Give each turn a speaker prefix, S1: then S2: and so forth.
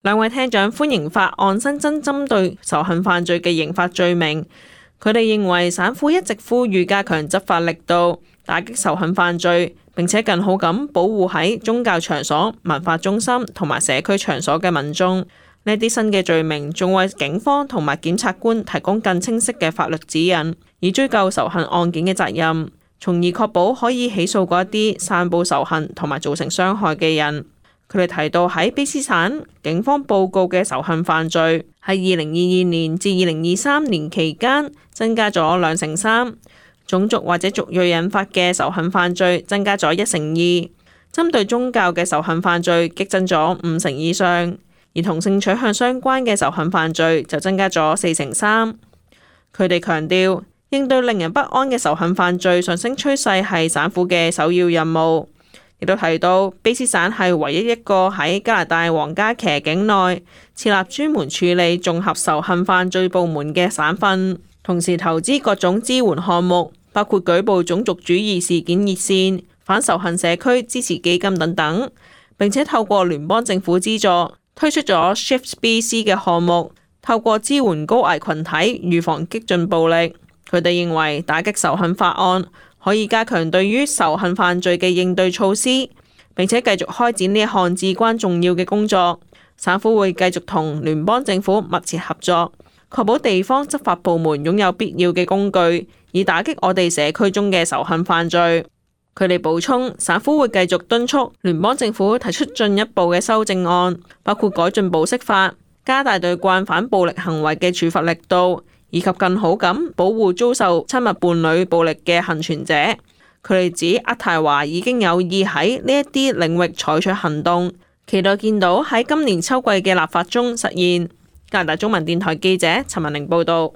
S1: 兩位廳長歡迎法案新增針對仇恨犯罪嘅刑法罪名。佢哋認為省府一直呼籲加強執法力度，打擊仇恨犯罪，並且更好咁保護喺宗教場所、文化中心同埋社區場所嘅民眾。呢啲新嘅罪名仲為警方同埋檢察官提供更清晰嘅法律指引，以追究仇恨案件嘅責任，從而確保可以起訴嗰一啲散佈仇恨同埋造成傷害嘅人。佢哋提到喺卑詩省警方報告嘅仇恨犯罪喺2022年至2023年期間增加咗2成3，種族或者族裔引發嘅仇恨犯罪增加咗1成2，針對宗教嘅仇恨犯罪激增咗5成以上，而同性取向相關嘅仇恨犯罪就增加咗4成3。佢哋強調，應對令人不安嘅仇恨犯罪上升趨勢係省府嘅首要任務。亦都提到，卑詩省係唯一一個喺加拿大皇家騎境內設立專門處理綜合仇恨犯罪部門嘅省份，同時投資各種支援項目，包括舉報種族主義事件熱線、反仇恨社區支持基金等等。並且透過聯邦政府資助推出咗 Shift BC 嘅項目，透過支援高危群體預防激進暴力。佢哋認為打擊仇恨法案可以加強對於仇恨犯罪嘅應對措施，並且繼續開展呢一項至關重要嘅工作。省府會繼續同聯邦政府密切合作，確保地方執法部門擁有必要嘅工具，以打擊我哋社區中嘅仇恨犯罪。佢哋補充，省府會繼續敦促聯邦政府提出進一步嘅修正案，包括改進保釋法、加大對慣犯暴力行為嘅處罰力度，以及更好咁保護遭受親密伴侶暴力嘅幸存者。佢哋指渥太華已經有意喺呢一啲領域採取行動，期待見到喺今年秋季嘅立法中實現。加拿大中文電台記者陳文玲報道。